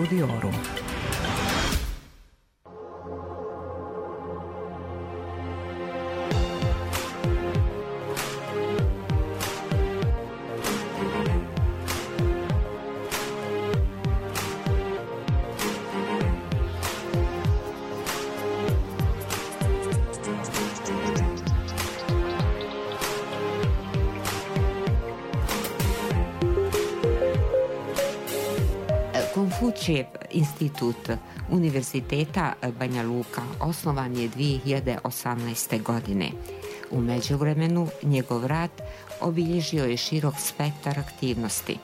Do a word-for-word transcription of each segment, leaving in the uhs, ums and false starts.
Studiorum. Konfučijev institut Univerziteta Banja Luka osnovan je dvije hiljade osamnaeste. godine. U međuvremenu njegov rad obilježio je širok spektar aktivnosti.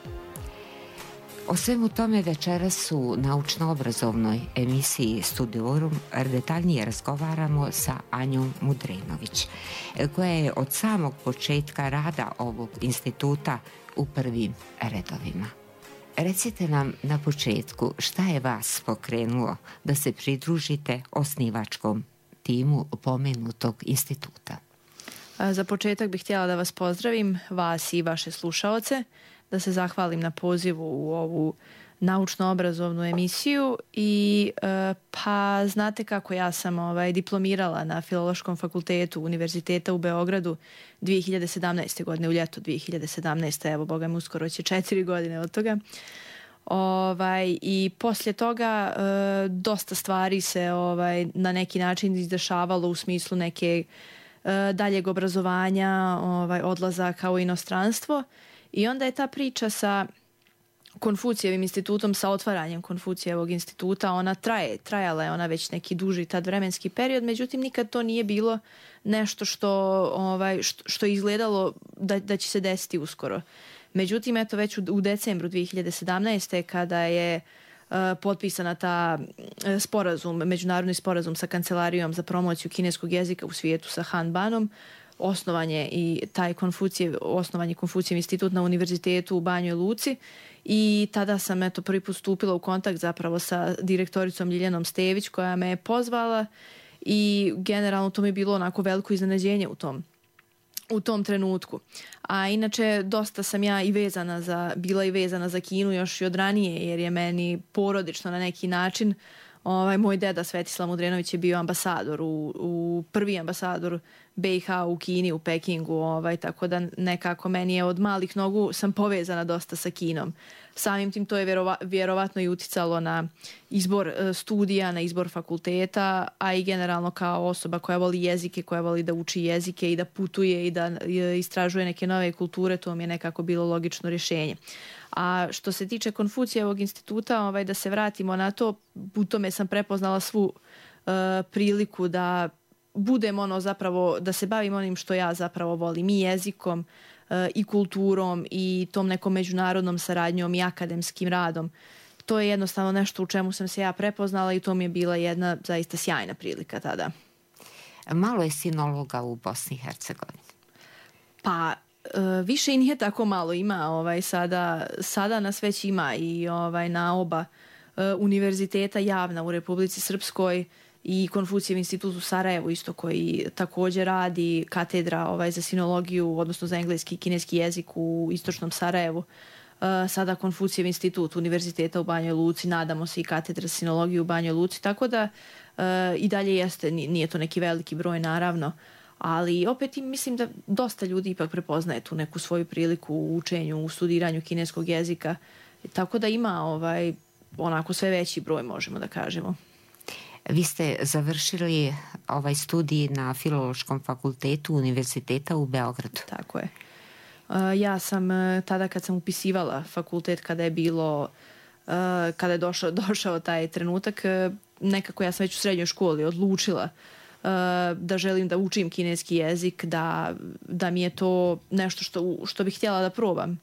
O svemu tome večeras u naučno-obrazovnoj emisiji Studiorum detaljnije razgovaramo sa Anjom Mudrenović, koja je od samog početka rada ovog instituta u prvim redovima. Recite nam na početku šta je vas pokrenulo da se pridružite osnivačkom timu pomenutog instituta? Za početak bih htjela da vas pozdravim, vas i vaše slušaoce, da se zahvalim na pozivu u ovu naučno-obrazovnu emisiju i pa znate kako ja sam ovaj, diplomirala na Filološkom fakultetu Univerziteta u Beogradu dvije hiljade sedamnaeste. godine, u ljeto dvije hiljade sedamnaeste. Evo, boga mi uskoro će četiri godine od toga. Ovaj, I poslije toga e, dosta stvari se ovaj, na neki način izdešavalo u smislu neke e, daljeg obrazovanja, ovaj, odlazaka u inostranstvo i onda je ta priča sa Konfucijevim institutom, sa otvaranjem Konfucijevog instituta, ona traje, trajala je ona već neki duži tad vremenski period, međutim nikad to nije bilo nešto što, ovaj, što, što je izgledalo da, da će se desiti uskoro. Međutim, eto već u, u decembru dvije hiljade sedamnaeste. kada je uh, potpisana ta uh, sporazum, međunarodni sporazum sa Kancelarijom za promociju kineskog jezika u svijetu sa Han Banom, osnovan je i taj Konfucijev, osnovan je Konfucijev institut na univerzitetu u Banjoj Luci i tada sam eto prvi put stupila u kontakt zapravo sa direktoricom Ljiljanom Stević koja me je pozvala i generalno to mi je bilo onako veliko iznenađenje u tom u tom trenutku. A inače dosta sam ja i vezana za, bila i vezana za Kinu još i od ranije jer je meni porodično na neki način. Ovaj, moj deda Svetislav Mudrenović je bio ambasador, u, u prvi ambasador B i H u Kini, u Pekingu, ovaj, tako da nekako meni je od malih nogu sam povezana dosta sa Kinom. Samim tim to je vjerova, vjerovatno i uticalo na izbor e, studija, na izbor fakulteta, a i generalno kao osoba koja voli jezike, koja voli da uči jezike i da putuje i da e, istražuje neke nove kulture, to mi je nekako bilo logično rješenje. A što se tiče Konfucijevog instituta, ovaj, da se vratimo na to, u tome sam prepoznala svu uh, priliku da budem ono zapravo, da se bavim onim što ja zapravo volim, i jezikom uh, i kulturom i tom nekom međunarodnom saradnjom i akademskim radom. To je jednostavno nešto u čemu sam se ja prepoznala i to mi je bila jedna zaista sjajna prilika tada. Malo je sinologa u Bosni i Hercegovini. Pa Uh, više i nije tako malo, ima ovaj, sada, sada nas već ima i ovaj, na oba uh, univerziteta javna u Republici Srpskoj i Konfucijev institut u Sarajevu isto koji također radi katedra ovaj, za sinologiju, odnosno za engleski i kineski jezik u istočnom Sarajevu. Uh, sada Konfucijev institut Univerziteta u Banjoj Luci, nadamo se i katedra za sinologiju u Banjoj Luci, tako da uh, i dalje jeste, nije to neki veliki broj naravno, ali opet mislim da dosta ljudi ipak prepoznaje tu neku svoju priliku u učenju, u studiranju kineskog jezika, tako da ima ovaj, onako sve veći broj, možemo da kažemo. Vi ste završili ovaj studij na Filološkom fakultetu Univerziteta u Beogradu. Tako je. Ja sam tada kad sam upisivala fakultet, kada je bilo, kada je došao, došao taj trenutak, nekako ja sam već u srednjoj školi odlučila da želim da učim kineski jezik, da, da mi je to nešto što, što bih htjela da probam.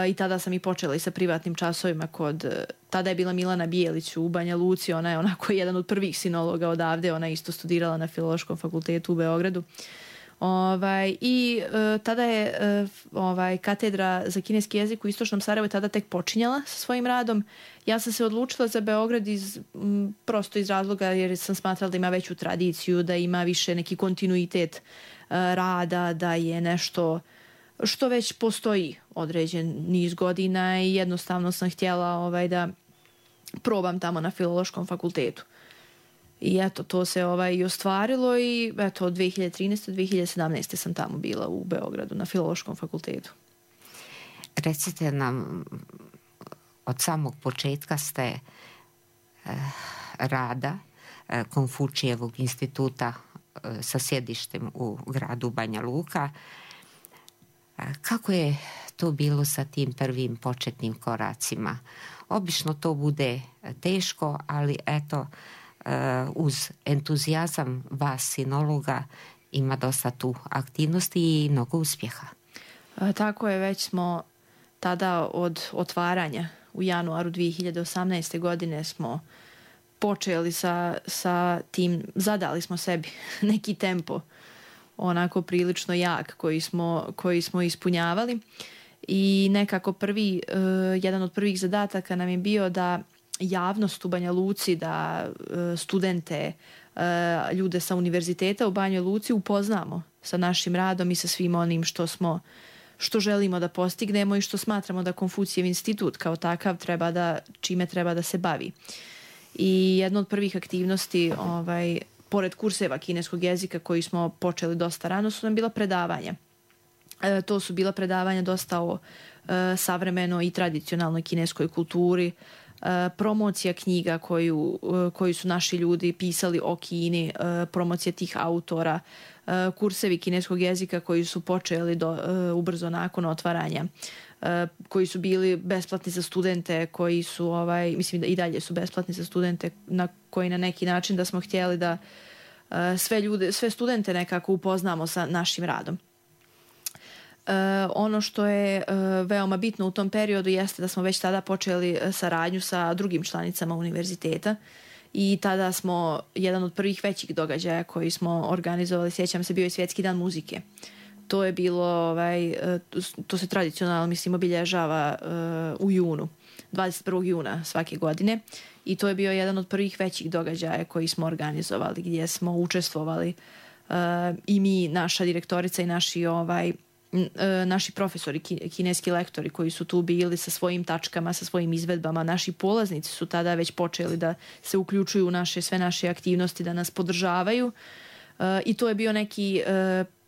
I tada sam i počela i sa privatnim časovima kod, tada je bila Milana Bijelić u Banja Luci, ona je onako jedan od prvih sinologa odavde, ona je isto studirala na Filološkom fakultetu u Beogradu. Ovaj, I uh, tada je uh, ovaj, katedra za kineski jezik u istočnom Sarajevu tada tek počinjala sa svojim radom. Ja sam se odlučila za Beograd iz, m, prosto iz razloga jer sam smatrala da ima veću tradiciju, da ima više neki kontinuitet uh, rada, da je nešto što već postoji određen niz godina i jednostavno sam htjela ovaj, da probam tamo na Filološkom fakultetu. I eto, to se ovaj i ostvarilo i eto, od dve hiljade trinaeste do dve hiljade sedamnaeste sam tamo bila u Beogradu na Filološkom fakultetu. Recite nam, od samog početka ste eh, rada eh, Konfučijevog instituta eh, sa sjedištem u gradu Banja Luka. Eh, kako je to bilo sa tim prvim početnim koracima? Obično to bude teško, ali eto, uz entuzijazam vas sinologa ima dosta tu aktivnosti i mnogo uspjeha. A, tako je, već smo tada od otvaranja u januaru dve hiljade osamnaeste. godine smo počeli sa, sa tim, zadali smo sebi neki tempo onako prilično jak koji smo, koji smo ispunjavali i nekako prvi, uh, jedan od prvih zadataka nam je bio da javnost u Banja Luci, da uh, studente, uh, ljude sa univerziteta u Banjoj Luci upoznamo sa našim radom i sa svim onim što smo što želimo da postignemo i što smatramo da Konfucijev institut kao takav treba da, čime treba da se bavi. I jedna od prvih aktivnosti, ovaj, pored kurseva kineskog jezika koji smo počeli dosta rano, su nam bila predavanja. E, to su bila predavanja dosta o e, savremenoj i tradicionalnoj kineskoj kulturi, e, promocija knjiga koju, e, koju su naši ljudi pisali o Kini, e, promocija tih autora, e, kursevi kineskog jezika koji su počeli do, e, ubrzo nakon otvaranja, e, koji su bili besplatni za studente, koji su, ovaj, mislim da i dalje su besplatni za studente, na koji na neki način da smo htjeli da e, sve ljude, sve studente nekako upoznamo sa našim radom. Uh, ono što je uh, veoma bitno u tom periodu jeste da smo već tada počeli saradnju sa drugim članicama univerziteta i tada smo, jedan od prvih većih događaja koji smo organizovali, sjećam se, bio je Svjetski dan muzike. To je bilo, ovaj, uh, to se tradicionalno, mislim, obilježava uh, u junu, dvadeset prvog juna svake godine i to je bio jedan od prvih većih događaja koji smo organizovali, gdje smo učestvovali uh, i mi, naša direktorica i naši ovaj naši profesori, kineski lektori koji su tu bili sa svojim tačkama, sa svojim izvedbama. Naši polaznici su tada već počeli da se uključuju u naše, sve naše aktivnosti, da nas podržavaju i to je bio neki,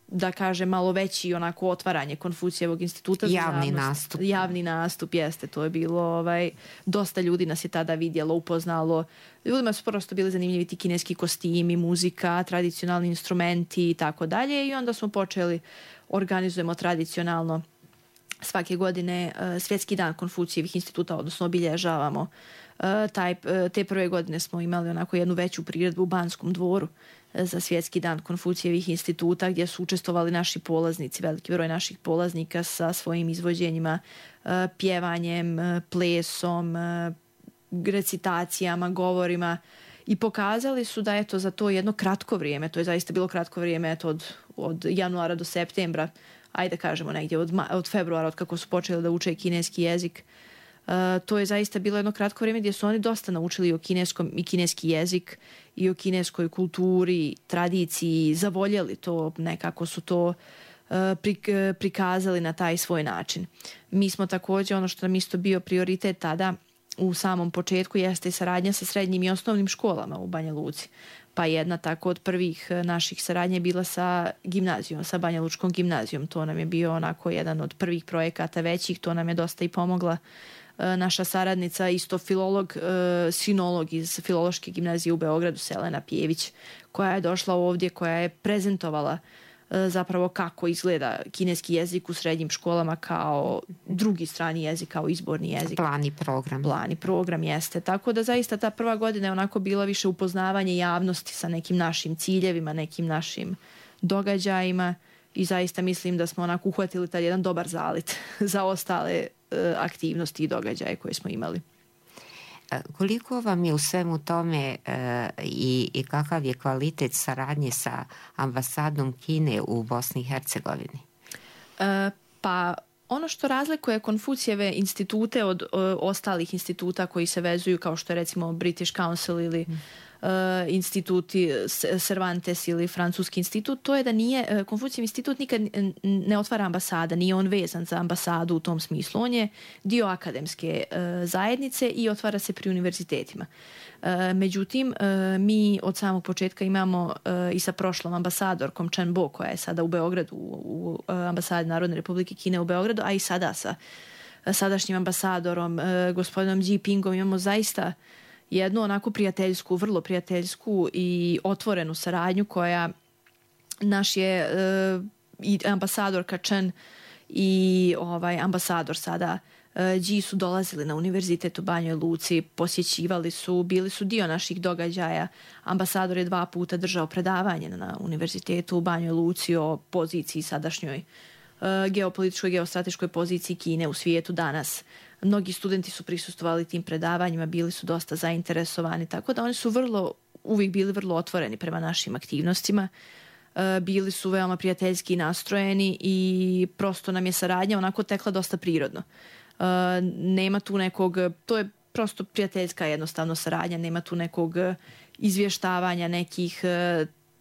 da kažem, malo veći onako otvaranje Konfucijevog instituta. Javni nastup. Javni nastup, jeste. To je bilo, ovaj, dosta ljudi nas je tada vidjelo, upoznalo. Ljudima su prosto bili zanimljivi ti kineski kostimi, muzika, tradicionalni instrumenti i tako dalje i onda smo počeli, organizujemo tradicionalno svake godine uh, Svjetski dan Konfucijevih instituta, odnosno obilježavamo uh, taj, uh, te prve godine smo imali onako jednu veću priredbu u Banskom dvoru uh, za Svjetski dan Konfucijevih instituta gdje su učestvovali naši polaznici, veliki broj naših polaznika sa svojim izvođenjima, uh, pjevanjem, uh, plesom, uh, recitacijama, govorima i pokazali su da eto za to jedno kratko vrijeme, to je zaista bilo kratko vrijeme eto od, od januara do septembra, ajde kažemo negdje od, od februara od kako su počeli da uče kineski jezik, uh, to je zaista bilo jedno kratko vrijeme gdje su oni dosta naučili o kineskom i kineski jezik i o kineskoj kulturi, tradiciji, zavoljeli to, nekako su to uh, prikazali na taj svoj način. Mi smo također, ono što nam isto bio prioritet tada u samom početku jeste saradnja sa srednjim i osnovnim školama u Banja Luci. Pa jedna tako od prvih naših saradnje je bila sa gimnazijom, sa Banja Lučkom gimnazijom. To nam je bio onako jedan od prvih projekata većih, to nam je dosta i pomogla naša saradnica, isto filolog, sinolog iz Filološke gimnazije u Beogradu, Selena Pjević, koja je došla ovdje, koja je prezentovala zapravo kako izgleda kineski jezik u srednjim školama kao drugi strani jezik, kao izborni jezik. Plani program. Plani program jeste. Tako da zaista ta prva godina je onako bila više upoznavanje javnosti sa nekim našim ciljevima, nekim našim događajima i zaista mislim da smo onako uhvatili taj jedan dobar zalit za ostale uh, aktivnosti i događaje koje smo imali. Koliko vam je u svemu tome e, i, i kakav je kvalitet saradnje sa ambasadom Kine u Bosni i Hercegovini? E, pa ono što razlikuje Konfucijeve institute od o, ostalih instituta koji se vezuju kao što je recimo British Council ili instituti Cervantes ili Francuski institut, to je da nije, Konfucijev institut nikad ne otvara ambasada, nije on vezan za ambasadu u tom smislu. On je dio akademske zajednice i otvara se pri univerzitetima. Međutim, mi od samog početka imamo i sa prošlom ambasadorkom Chen Bo, koja je sada u Beogradu, u ambasadi Narodne Republike Kine u Beogradu, a i sada sa sadašnjim ambasadorom, gospodinom Ji Pingom, imamo zaista jednu onako prijateljsku, vrlo prijateljsku i otvorenu saradnju koja naš je i ambasadorka Chen i ovaj ambasador sada Ji su dolazili na univerzitet u Banjoj Luci, posjećivali su, bili su dio naših događaja. Ambasador je dva puta držao predavanje na univerzitetu u Banjoj Luci o poziciji sadašnjoj geopolitičkoj, geostrateškoj poziciji Kine u svijetu danas. Mnogi studenti su prisustvovali tim predavanjima, bili su dosta zainteresovani, tako da oni su vrlo, uvijek bili vrlo otvoreni prema našim aktivnostima. Bili su veoma prijateljski nastrojeni i prosto nam je saradnja onako tekla dosta prirodno. Nema tu nekog, to je prosto prijateljska jednostavno saradnja, nema tu nekog izvještavanja, nekih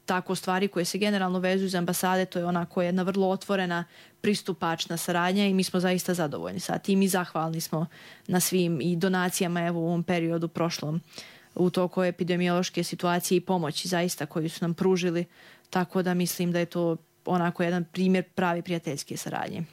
tako stvari koje se generalno vezuju za ambasade, to je onako jedna vrlo otvorena, pristupačna saradnja i mi smo zaista zadovoljni sa tim i zahvalni smo na svim i donacijama evo u ovom periodu prošlom u toku epidemiološke situacije i pomoći zaista koju su nam pružili, tako da mislim da je to onako jedan primjer pravi prijateljske saradnje.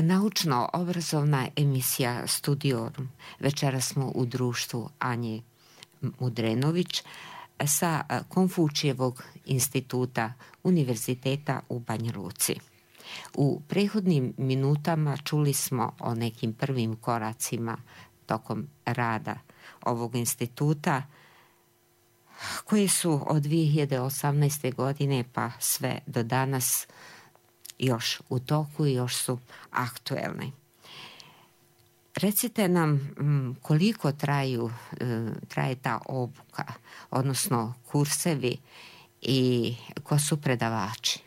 Naučno-obrazovna emisija Studiorum. Večera smo u društvu Anje Mudrenović sa Konfučijevog instituta Univerziteta u Banja Luci. U prethodnim minutama čuli smo o nekim prvim koracima tokom rada ovog instituta koje su od dvije hiljade osamnaeste. godine pa sve do danas još u toku i još su aktuelne. Recite nam koliko traju, traje ta obuka, odnosno kursevi i ko su predavači?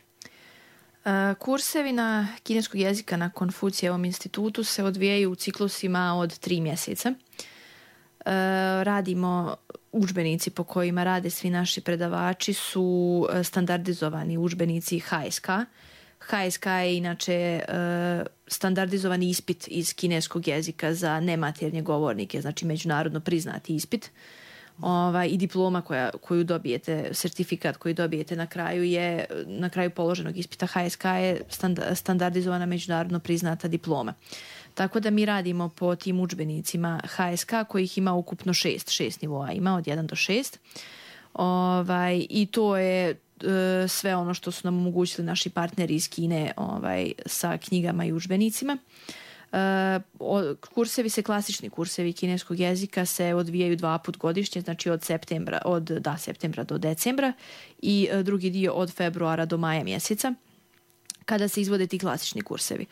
Kursevi na kineskog jezika na Konfucijevom institutu se odvijaju u ciklusima od tri mjeseca. Radimo, udžbenici po kojima rade svi naši predavači su standardizovani udžbenici H S K. H S K je inače standardizovani ispit iz kineskog jezika za nematernje govornike, znači međunarodno priznati ispit. Ovaj, i diploma koja, koju dobijete, sertifikat koji dobijete na kraju je, na kraju položenog ispita H S K je standardizovana međunarodno priznata diploma. Tako da mi radimo po tim udžbenicima H S K kojih ima ukupno šest, šest nivoa ima od jedan do šest. Ovaj, i to je sve ono što su nam omogućili naši partneri iz Kine ovaj, sa knjigama i udžbenicima. Uh, kursevi se, klasični kursevi kineskog jezika se odvijaju dva put godišnje, znači od septembra, od da, septembra do decembra i uh, drugi dio od februara do maja mjeseca kada se izvode ti klasični kursevi.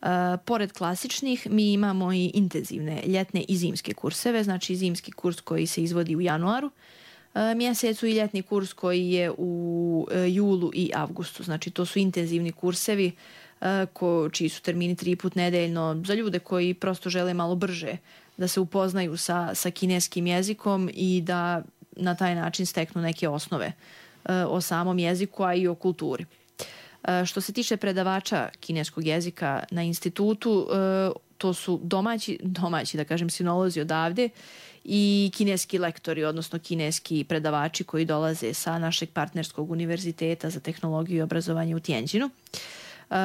Uh, pored klasičnih mi imamo i intenzivne ljetne i zimske kurseve, znači zimski kurs koji se izvodi u januaru mjesecu i ljetni kurs koji je u julu i avgustu. Znači to su intenzivni kursevi ko, čiji su termini tri put nedeljno za ljude koji prosto žele malo brže da se upoznaju sa, sa kineskim jezikom i da na taj način steknu neke osnove o samom jeziku, a i o kulturi. Što se tiče predavača kineskog jezika na institutu, to su domaći, domaći da kažem sinolozi odavde i kineski lektori, odnosno kineski predavači koji dolaze sa našeg partnerskog univerziteta za tehnologiju i obrazovanje u Tianjinu. Uh,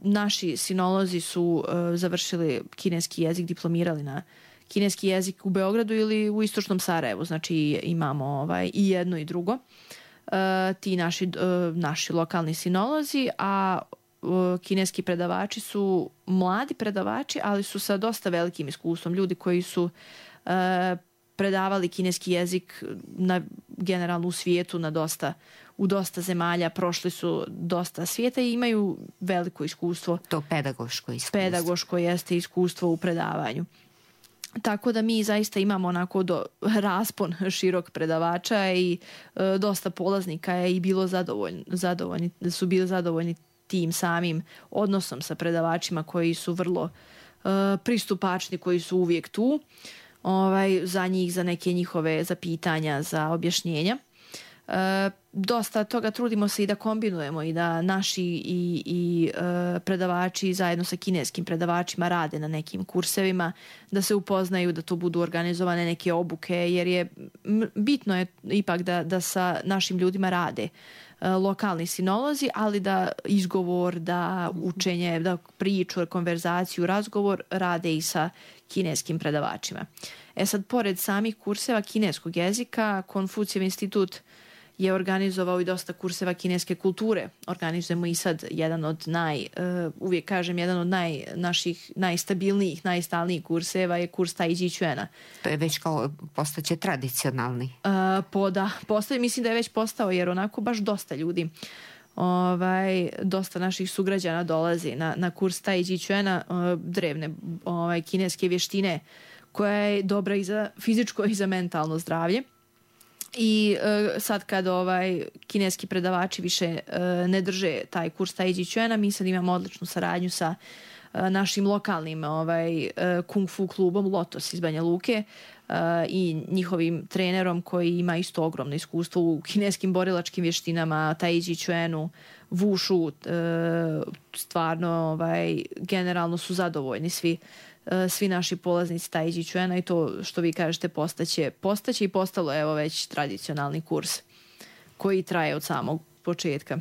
naši sinolozi su uh, završili kineski jezik, diplomirali na kineski jezik u Beogradu ili u istočnom Sarajevu, znači imamo ovaj, i jedno i drugo. Uh, ti naši, uh, naši lokalni sinolozi, a uh, kineski predavači su mladi predavači, ali su sa dosta velikim iskustvom, ljudi koji su uh, predavali kineski jezik na, generalno u svijetu na dosta, u dosta zemalja, prošli su dosta svijeta i imaju veliko iskustvo. To pedagoško iskustvo. Pedagoško jeste iskustvo u predavanju. Tako da mi zaista imamo onako do, raspon širok predavača i e, dosta polaznika je i bilo zadovoljni, zadovoljni, su bili zadovoljni tim samim odnosom sa predavačima koji su vrlo e, pristupačni, koji su uvijek tu ovaj, za njih, za neke njihove zapitanja, za objašnjenja. E, dosta toga trudimo se i da kombinujemo i da naši i, i e, predavači zajedno sa kineskim predavačima rade na nekim kursevima, da se upoznaju, da to budu organizovane neke obuke, jer je bitno je ipak da, da sa našim ljudima rade e, lokalni sinolozi, ali da izgovor, da učenje, da priču, konverzaciju, razgovor rade i sa kineskim predavačima. E sad, pored samih kurseva kineskog jezika, Konfucijev institut je organizovao i dosta kurseva kineske kulture. Organizujemo i sad jedan od naj, uh, uvijek kažem, jedan od naj, naših najstabilnijih, najstalnijih kurseva je kurs Tai Chi Chuana. To je već kao postaće tradicionalni. Uh, po, da, postaje, mislim da je već postao, jer onako baš dosta ljudi, ovaj, dosta naših sugrađana dolazi na, na kurs Tai Chi Chuana, uh, drevne ovaj, kineske vještine, koja je dobra i za fizičko i za mentalno zdravlje. I uh, sad kad ovaj kineski predavači više uh, ne drže taj kurs Tai Chi Chuana, mi sad imamo odličnu saradnju sa uh, našim lokalnim ovaj, uh, kung fu klubom Lotos iz Banja Luke uh, i njihovim trenerom koji ima isto ogromno iskustvo u kineskim borilačkim vještinama, Tai Chi Chuanu, Wushu, uh, stvarno ovaj, generalno su zadovoljni svi svi naši polaznici Tai Chi Chuana i to što vi kažete postaće, postaće i postalo evo već tradicionalni kurs koji traje od samog početka.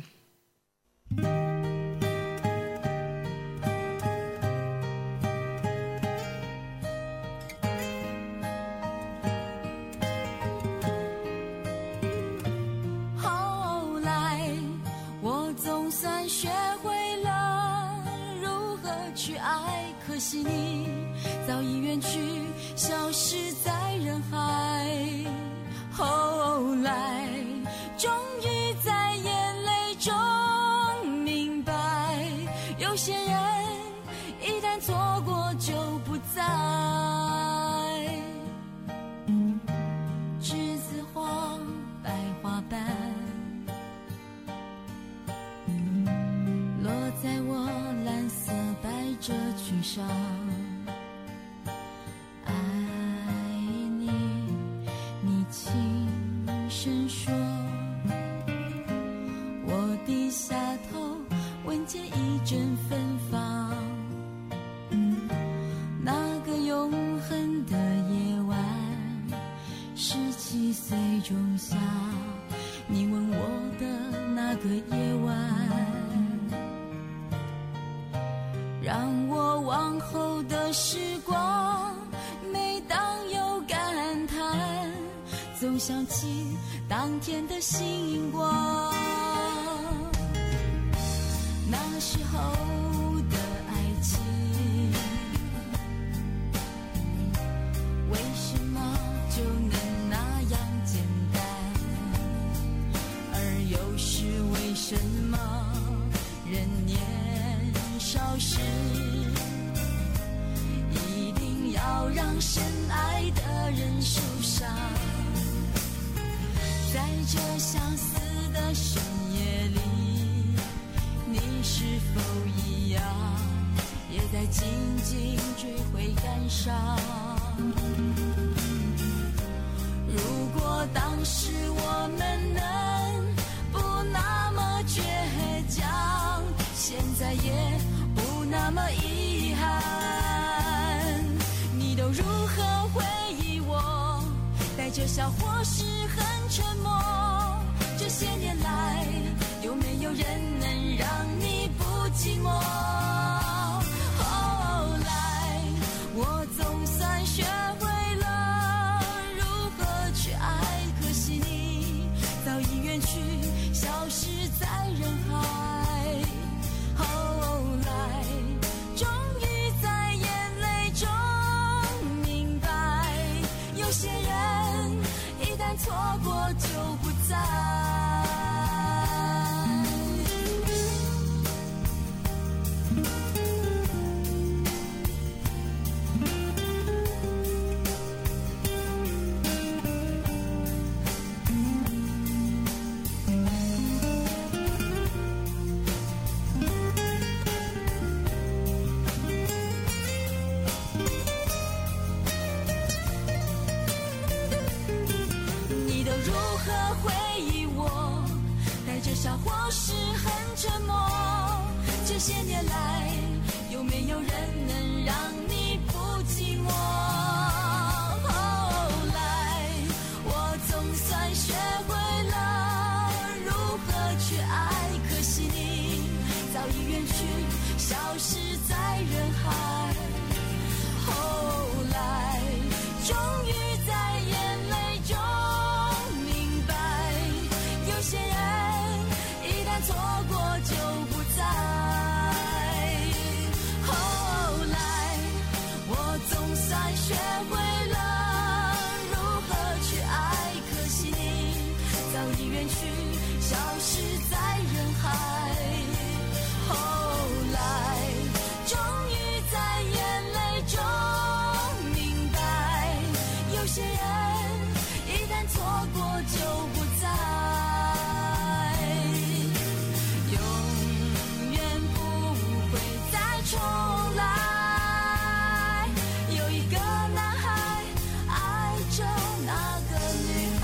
些人过就不在。笑或是很沉默，这些年来有没有人能让你不寂寞？后来我总算学会了如何去爱，可惜你早已远去，消失在人海。后来终于在眼泪中明白，有些人错过就不在。后来我总算学会了如何去爱，可惜你早已远去，消失在人海。后来终于在眼泪中明白，有些人一旦错过就不在。重来，有一个男孩爱着那个女孩。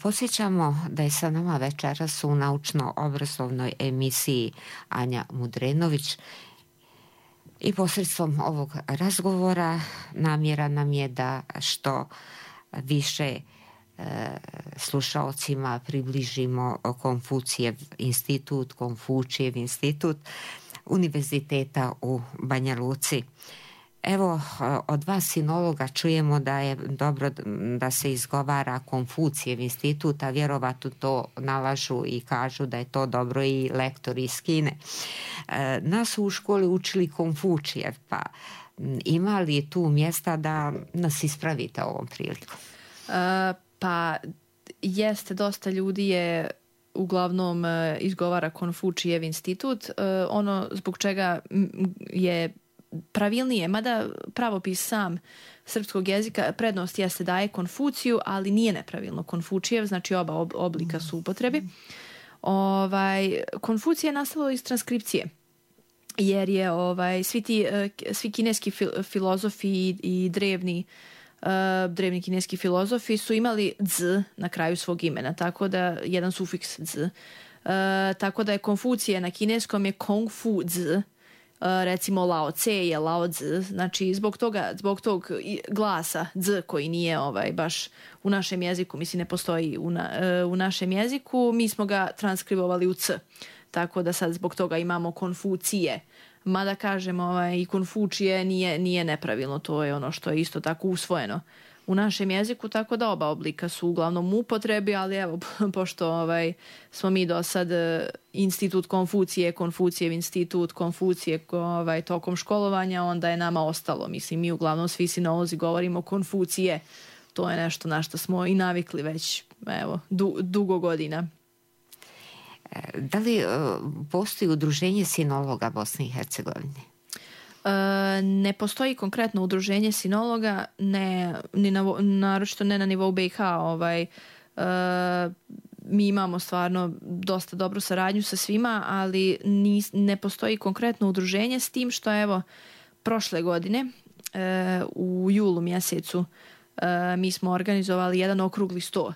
Posjećamo da je sa nama večeras u naučno-obrazovnoj emisiji Anja Mudrenović i posredstvom ovog razgovora namjera nam je da što više e, slušaocima približimo Konfucijev institut, Konfučijev institut Univerziteta u Banja Luci. Evo, od vas sinologa čujemo da je dobro da se izgovara Konfucijev institut, a vjerovatno to nalažu i kažu da je to dobro i lektori iz Kine. Nas su u školi učili Konfučijev, pa ima li tu mjesta da nas ispravite ovom prilikom? Uh, pa jeste, dosta ljudi je uglavnom izgovara Konfučijev institut. Uh, ono zbog čega je pravilnije, mada pravopis sam srpskog jezika prednost jeste daje Konfuciju, ali nije nepravilno Konfučijev, znači oba oblika su upotrebi. Ovaj, Konfucija je nastalo iz transkripcije, jer je ovaj, svi, ti, svi kineski fil, filozofi i, i drevni, uh, drevni kineski filozofi su imali z na kraju svog imena, tako da jedan sufiks z. Uh, tako da je Konfucija na kineskom je Kong Fu z. Uh, recimo Lao Tse je Lao Tzu, znači zbog toga, zbog tog glasa z koji nije ovaj baš u našem jeziku, mislim ne postoji u, na, uh, u našem jeziku, mi smo ga transkribovali u c, tako da sad zbog toga imamo Konfucije, mada kažemo ovaj, i Konfučije nije, nije nepravilno, to je ono što je isto tako usvojeno u našem jeziku, tako da oba oblika su uglavnom u upotrebi, ali evo, pošto ovaj, smo mi do sad institut Konfucije, Konfucijev institut, Konfucije ovaj, tokom školovanja, onda je nama ostalo, mislim, mi uglavnom svi sinolozi govorimo Konfucije, to je nešto na što smo i navikli već, evo, du, dugo godina. Da li postoji udruženje sinologa Bosne i Hercegovine? Ne postoji konkretno udruženje sinologa, ne, ni na, naročito ne na nivou B i H. Ovaj, uh, mi imamo stvarno dosta dobru saradnju sa svima, ali ni, ne postoji konkretno udruženje, s tim što evo prošle godine uh, u julu mjesecu uh, mi smo organizovali jedan okrugli sto uh,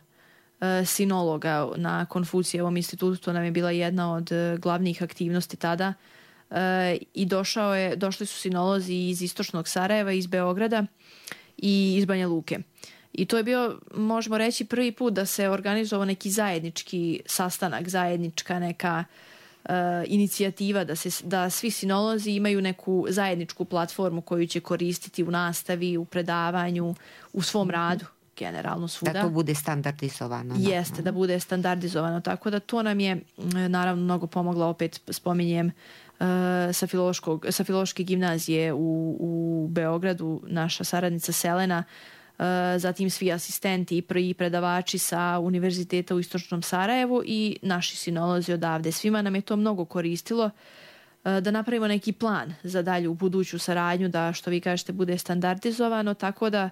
sinologa na Konfucijevom institutu. To nam je bila jedna od glavnih aktivnosti tada. I došao je, došli su sinolozi iz istočnog Sarajeva, iz Beograda i iz Banja Luke. I to je bio, možemo reći, prvi put da se organizovao neki zajednički sastanak, zajednička neka uh, inicijativa, da, se, da svi sinolozi imaju neku zajedničku platformu koju će koristiti u nastavi, u predavanju, u svom radu, generalno svuda. Da to bude standardizovano. Jeste, no. da bude standardizovano. Tako da to nam je, naravno, mnogo pomoglo, opet spominjem, uh, sa, sa Filološke gimnazije u, u Beogradu, naša saradnica Selena, zatim svi asistenti i prvi predavači sa Univerziteta u Istočnom Sarajevu i naši sinolozi odavde. Svima nam je to mnogo koristilo da napravimo neki plan za dalju buduću saradnju, da, što vi kažete, bude standardizovano, tako da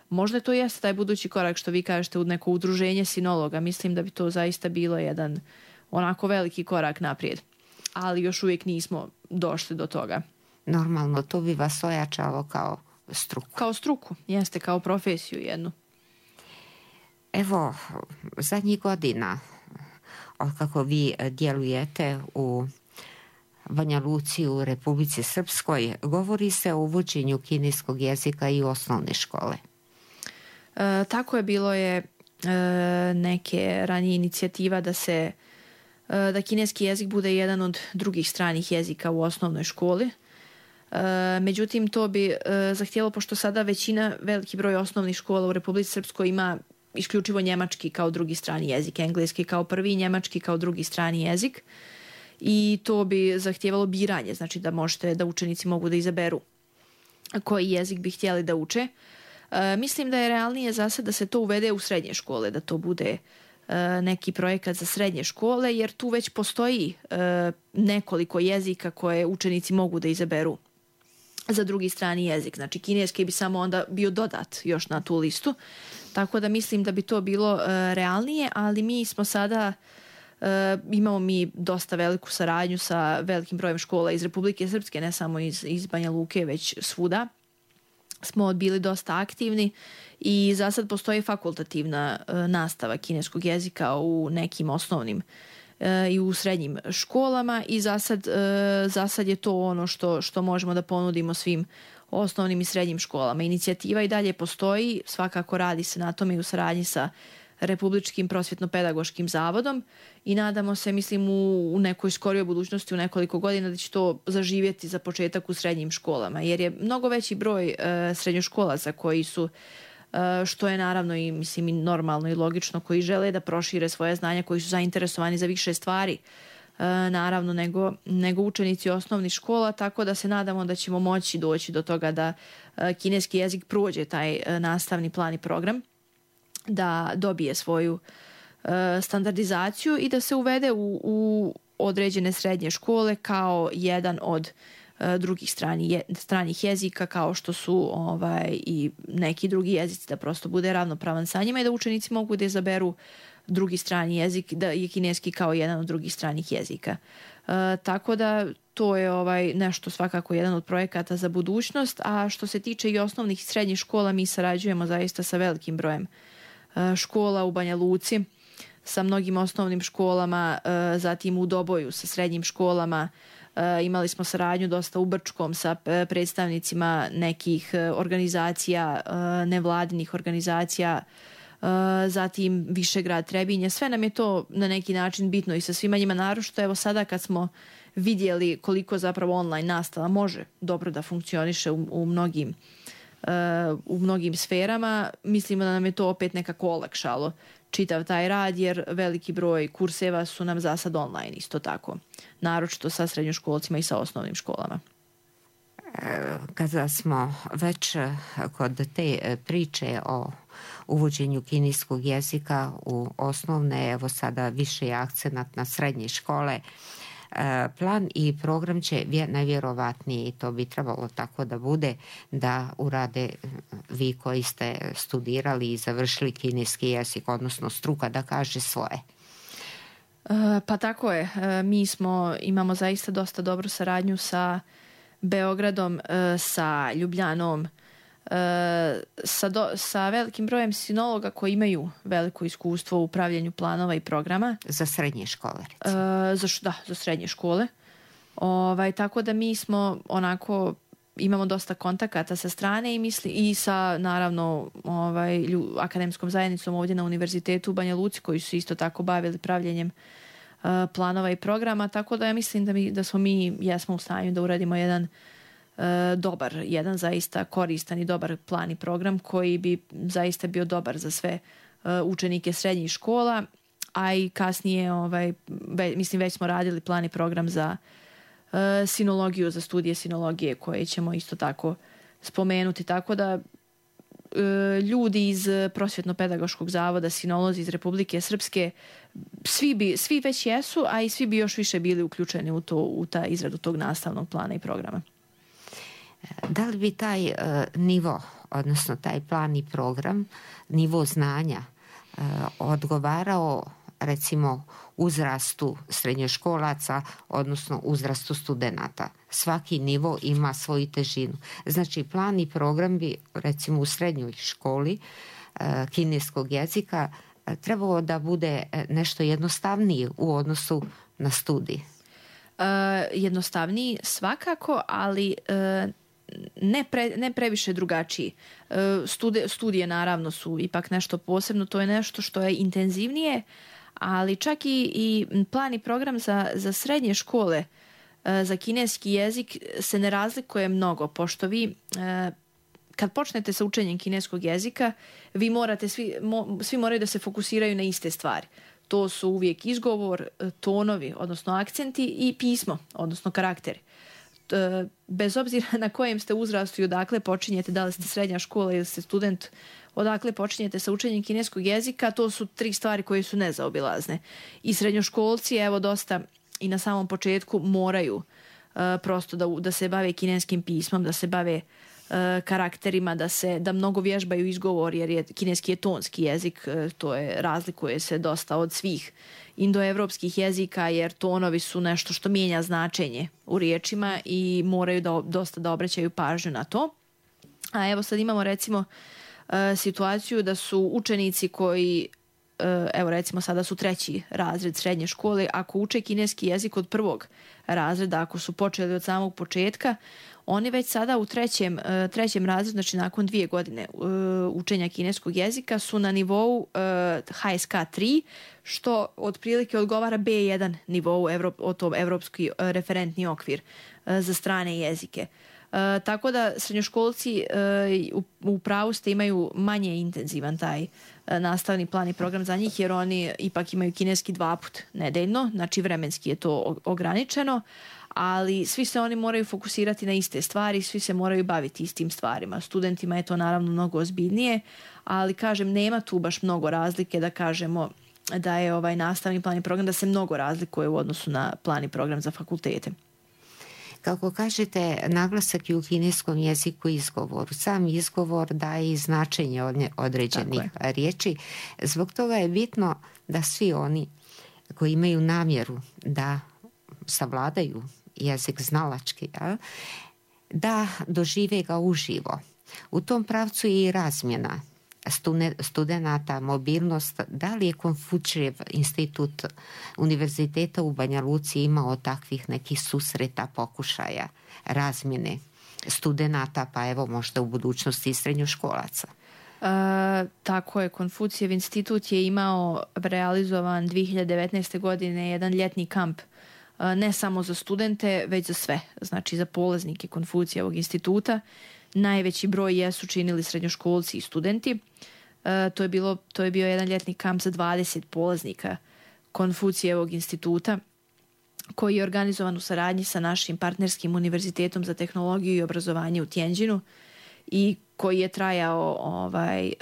možda to jeste taj budući korak, što vi kažete, u neko udruženje sinologa. Mislim da bi to zaista bilo jedan onako veliki korak naprijed, ali još uvijek nismo došli do toga. Normalno, to bi vas ojačalo kao struku. Kao struku, jeste, kao profesiju jednu. Evo, zadnjih godina, kako vi djelujete u Banja Luci, u Republici Srpskoj, govori se o uvođenju kineskog jezika i u osnovne škole. E, tako je, bilo je e, neke ranije inicijativa da se e, da kineski jezik bude jedan od drugih stranih jezika u osnovnoj školi. Međutim, to bi zahtjelo, pošto sada većina, veliki broj osnovnih škola u Republici Srpskoj ima isključivo njemački kao drugi strani jezik, engleski kao prvi, njemački kao drugi strani jezik, i to bi zahtjevalo biranje, znači da možete, da učenici mogu da izaberu koji jezik bi htjeli da uče. Mislim da je realnije za sad da se to uvede u srednje škole, da to bude neki projekat za srednje škole, jer tu već postoji nekoliko jezika koje učenici mogu da izaberu za drugi strani jezik. Znači, kineski bi samo onda bio dodat još na tu listu. Tako da mislim da bi to bilo uh, realnije, ali mi smo sada, uh, imamo mi dosta veliku saradnju sa velikim brojem škola iz Republike Srpske, ne samo iz, iz Banja Luke, već svuda. Smo bili dosta aktivni i za sad postoji fakultativna uh, nastava kineskog jezika u nekim osnovnim i u srednjim školama i za sad, za sad je to ono što, što možemo da ponudimo svim osnovnim i srednjim školama. Inicijativa i dalje postoji, svakako radi se na tome i u saradnji sa Republičkim prosvjetno-pedagoškim zavodom i nadamo se, mislim, u, u nekoj skorijoj budućnosti, u nekoliko godina, da će to zaživjeti za početak u srednjim školama, jer je mnogo veći broj e, srednjoškolaca koji su, što je naravno i, mislim, i normalno i logično, koji žele da prošire svoje znanja, koji su zainteresovani za više stvari, naravno, nego, nego učenici osnovnih škola, tako da se nadamo da ćemo moći doći do toga da kineski jezik prođe taj nastavni plan i program, da dobije svoju standardizaciju i da se uvede u, u određene srednje škole kao jedan od drugih strani, je, stranih jezika, kao što su ovaj, i neki drugi jezici, da prosto bude ravnopravan sa njima i da učenici mogu da izaberu drugi strani jezik, da je kineski kao jedan od drugih stranih jezika. E, tako da to je ovaj, nešto svakako jedan od projekata za budućnost, a što se tiče i osnovnih i srednjih škola, mi sarađujemo zaista sa velikim brojem e, škola u Banja Luci, sa mnogim osnovnim školama, e, zatim u Doboju sa srednjim školama. E, imali smo saradnju dosta u Brčkom sa predstavnicima nekih organizacija, e, nevladinih organizacija, e, zatim Višegrad, Trebinje. Sve nam je to na neki način bitno i sa svima njima, naročito evo sada kad smo vidjeli koliko zapravo online nastava može dobro da funkcioniše u, u mnogim e, u mnogim sferama, mislimo da nam je to opet nekako olakšalo čitav taj rad, jer veliki broj kurseva su nam za sad online isto tako, naročito sa srednjoškolcima i sa osnovnim školama. Kada smo već kod te priče o uvođenju kineskog jezika u osnovne, evo sada više je akcenat na srednje škole, plan i program će najvjerovatnije, i to bi trebalo tako da bude, da urade vi koji ste studirali i završili kineski jezik, odnosno struka da kaže svoje. Pa tako je. Mi smo, imamo zaista dosta dobru saradnju sa Beogradom, sa Ljubljanom, sa, do, sa velikim brojem sinologa koji imaju veliko iskustvo u upravljanju planova i programa. Za srednje škole, recimo. Za, da, za srednje škole. Ovaj, tako da mi smo onako, imamo dosta kontakata sa strane i, misli, i sa, naravno, ovaj, lju, akademskom zajednicom ovdje na Univerzitetu u Banja Luci, koji su isto tako bavili pravljenjem uh, planova i programa, tako da ja mislim da, mi, da smo mi, jesmo u stanju da uradimo jedan uh, dobar, jedan zaista koristan i dobar plan i program koji bi zaista bio dobar za sve uh, učenike srednjih škola, a i kasnije, ovaj, ve, mislim, već smo radili plan i program za uh, sinologiju, za studije sinologije koje ćemo isto tako spomenuti, tako da ljudi iz Prosvjetno-pedagoškog zavoda, sinolozi iz Republike Srpske, svi, bi, svi već jesu, a i svi bi još više bili uključeni u, to, u ta izradu tog nastavnog plana i programa. Da li bi taj uh, nivo, odnosno taj plan i program, nivo znanja uh, odgovarao recimo uzrastu srednjoškolaca, odnosno uzrastu studenata? Svaki nivo ima svoju težinu. Znači, plan i program bi, recimo u srednjoj školi uh, kineskog jezika uh, trebalo da bude nešto jednostavniji u odnosu na studij. Uh, jednostavniji svakako, ali uh, ne, pre, ne previše drugačiji. Uh, stude, studije naravno su ipak nešto posebno, to je nešto što je intenzivnije, ali čak i, i plan i program za, za srednje škole za kineski jezik se ne razlikuje mnogo, pošto vi kad počnete sa učenjem kineskog jezika, vi morate, svi, mo, svi moraju da se fokusiraju na iste stvari. To su uvijek izgovor, tonovi, odnosno akcenti i pismo, odnosno karakteri. Bez obzira na kojem ste uzrastu i odakle počinjete, da li ste srednja škola ili ste student, odakle počinjete sa učenjem kineskog jezika, to su tri stvari koje su nezaobilazne. I srednjoškolci, evo dosta i na samom početku moraju uh, prosto da, da se bave kineskim pismom, da se bave uh, karakterima, da se da mnogo vježbaju izgovor, jer je kineski je tonski jezik, uh, to je razlikuje se dosta od svih indoevropskih jezika, jer tonovi su nešto što mijenja značenje u riječima i moraju da, dosta da obraćaju pažnju na to. A evo sad imamo recimo uh, situaciju da su učenici koji evo recimo sada su treći razred srednje škole, ako uče kineski jezik od prvog razreda, ako su počeli od samog početka, oni već sada u trećem, trećem razredu, znači nakon dvije godine učenja kineskog jezika, su na nivou H S K tri, što otprilike odgovara B jedan nivou, o tom evropski referentni okvir za strane jezike. Uh, tako da srednjoškolci uh, u, u pravu ste imaju manje intenzivan taj uh, nastavni plan i program za njih, jer oni ipak imaju kineski dva put nedeljno, znači vremenski je to ograničeno, ali svi se oni moraju fokusirati na iste stvari, svi se moraju baviti istim stvarima. Studentima je to naravno mnogo ozbiljnije, ali kažem, nema tu baš mnogo razlike da kažemo da je ovaj nastavni plan i program da se mnogo razlikuje u odnosu na plan i program za fakultete. Kako kažete, naglasak je u kineskom jeziku izgovoru. Sam izgovor daje i značenje određenih riječi. Zbog toga je bitno da svi oni koji imaju namjeru da savladaju jezik znalački, da dožive ga uživo. U tom pravcu je i razmjena studenata, mobilnost. Da li je Konfučijev institut Univerziteta u Banja Luci imao takvih nekih susreta, pokušaja, razmjene studenata, pa evo možda u budućnosti i srednjoškolaca? Uh, tako je, Konfucijev institut je imao realizovan dvije hiljade devetnaeste. godine jedan ljetni kamp, uh, ne samo za studente, već za sve, znači za polaznike Konfucijevog instituta. Najveći broj jesu činili srednjoškolci i studenti. E, to je bilo, to je bio jedan ljetni kamp za dvadeset polaznika Konfucijevog instituta, koji je organizovan u saradnji sa našim partnerskim univerzitetom za tehnologiju i obrazovanje u Tianjinu i koji je trajao ovaj,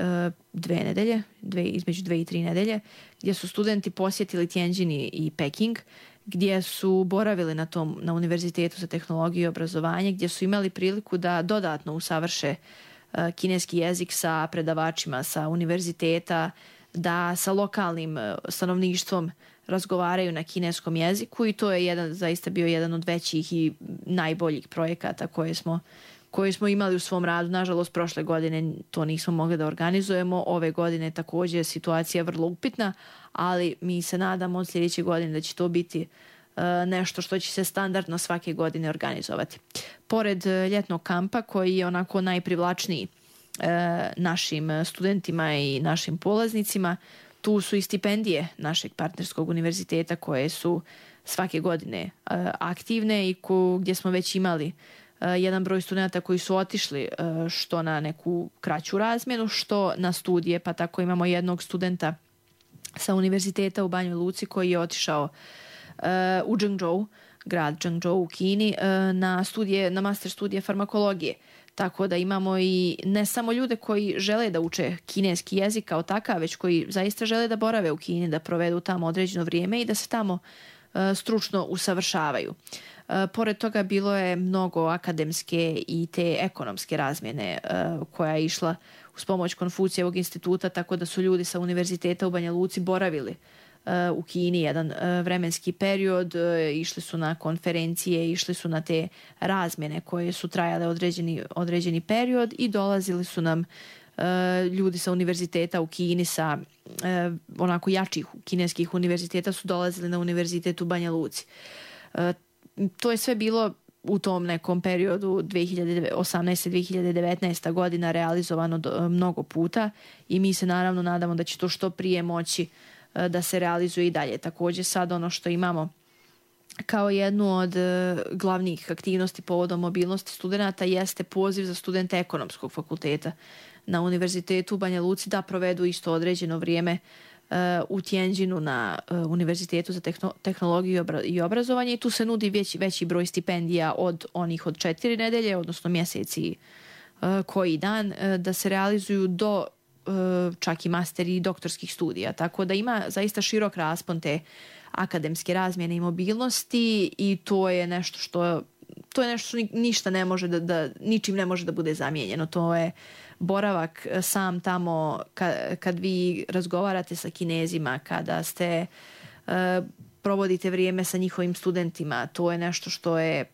dve nedelje, dve, između dve i tri nedelje, gdje su studenti posjetili Tianjin i Peking, gdje su boravili na tom na Univerzitetu za tehnologiju i obrazovanje, gdje su imali priliku da dodatno usavrše uh, kineski jezik sa predavačima sa univerziteta, da sa lokalnim uh, stanovništvom razgovaraju na kineskom jeziku, i to je jedan, zaista bio jedan od većih i najboljih projekata koje smo, koji smo imali u svom radu. Nažalost, prošle godine to nismo mogli da organizujemo. Ove godine također situacija je vrlo upitna, ali mi se nadamo od sljedeće godine da će to biti nešto što će se standardno svake godine organizovati. Pored ljetnog kampa koji je onako najprivlačniji našim studentima i našim polaznicima, tu su i stipendije našeg partnerskog univerziteta koje su svake godine aktivne i ko, gdje smo već imali jedan broj studenta koji su otišli što na neku kraću razmjenu, što na studije, pa tako imamo jednog studenta sa univerziteta u Banjoj Luci koji je otišao u Zhengzhou, grad Zhengzhou u Kini, na studije, na master studije farmakologije. Tako da imamo i ne samo ljude koji žele da uče kineski jezik kao takav, već koji zaista žele da borave u Kini, da provedu tamo određeno vrijeme i da se tamo stručno usavršavaju. Pored toga bilo je mnogo akademske i te ekonomske razmjene koja je išla uz pomoć Konfucijevog instituta, tako da su ljudi sa univerziteta u Banja Luci boravili u Kini jedan vremenski period, išli su na konferencije, išli su na te razmjene koje su trajale određeni, određeni period i dolazili su nam ljudi sa univerziteta u Kini, sa onako jačih kineskih univerziteta su dolazili na univerzitet u Banja Luci. To je sve bilo u tom nekom periodu dvije hiljade osamnaeste. dvije hiljade devetnaeste. godina realizovano do, mnogo puta i mi se naravno nadamo da će to što prije moći da se realizuje i dalje. Također sad ono što imamo kao jednu od glavnih aktivnosti povodom mobilnosti studenata jeste poziv za studente ekonomskog fakulteta na univerzitetu u Banja Luci da provedu isto određeno vrijeme u Tianjinu na Univerzitetu za tehnologiju i obrazovanje i tu se nudi veći, veći broj stipendija od onih od četiri nedelje, odnosno mjeseci koji dan, da se realizuju do čak i master i doktorskih studija. Tako da ima zaista širok raspon te akademske razmjene i mobilnosti i to je nešto što to je nešto što ništa ne može da, da ničim ne može da bude zamijenjeno. To je boravak sam tamo kad, kad vi razgovarate sa Kinezima, kada ste uh, provodite vrijeme sa njihovim studentima, to je nešto što je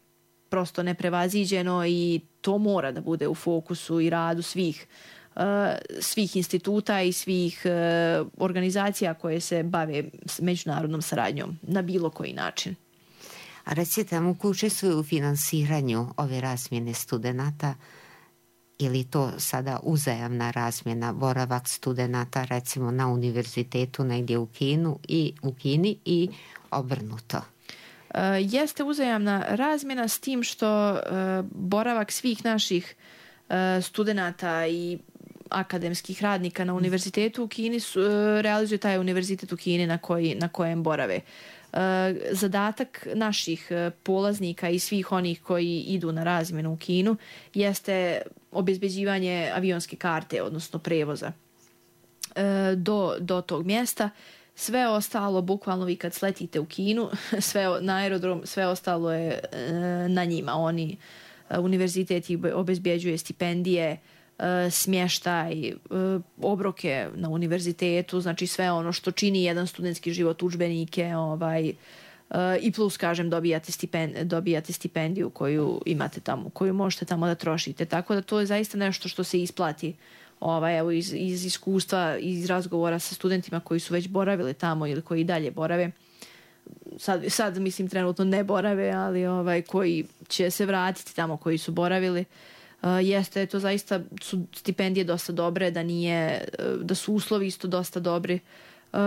prosto neprevaziđeno i to mora da bude u fokusu i radu svih uh, svih instituta i svih uh, organizacija koje se bave s međunarodnom saradnjom na bilo koji način. A recite nam, ko učestvuje u finansiranju ove razmjene studenata, ili to sada uzajamna razmjena, boravak studenata recimo na univerzitetu negdje u Kinu i u Kini i obrnuto? Uh, jeste uzajamna razmjena s tim što uh, boravak svih naših uh, studenata i akademskih radnika na univerzitetu u Kini su, uh, realizuje taj univerzitet u Kini na, koji, na kojem borave. Zadatak naših polaznika i svih onih koji idu na razmjenu u Kinu jeste obezbeđivanje avionske karte, odnosno prevoza do, do tog mjesta. Sve ostalo, bukvalno vi kad sletite u Kinu, sve na aerodrom, sve ostalo je na njima. Oni, univerzitet obezbeđuje stipendije, smještaj, obroke na univerzitetu, znači sve ono što čini jedan studentski život, udžbenike, ovaj, i plus, kažem, dobijate, stipend, dobijate stipendiju koju imate tamo, koju možete tamo da trošite. Tako da to je zaista nešto što se isplati ovaj, evo, iz, iz iskustva, iz razgovora sa studentima koji su već boravili tamo ili koji dalje borave. Sad, sad mislim, trenutno ne borave, ali ovaj, koji će se vratiti tamo koji su boravili. Uh, jeste, to zaista su stipendije dosta dobre, da nije, da su uslovi isto dosta dobri. Uh,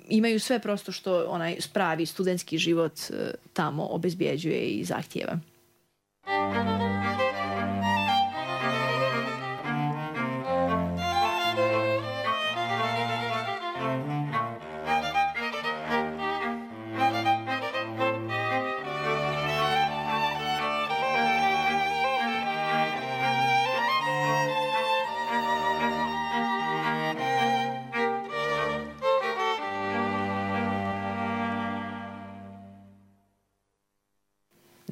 imaju sve prosto što onaj pravi studentski život uh, tamo obezbjeđuje i zahtijeva.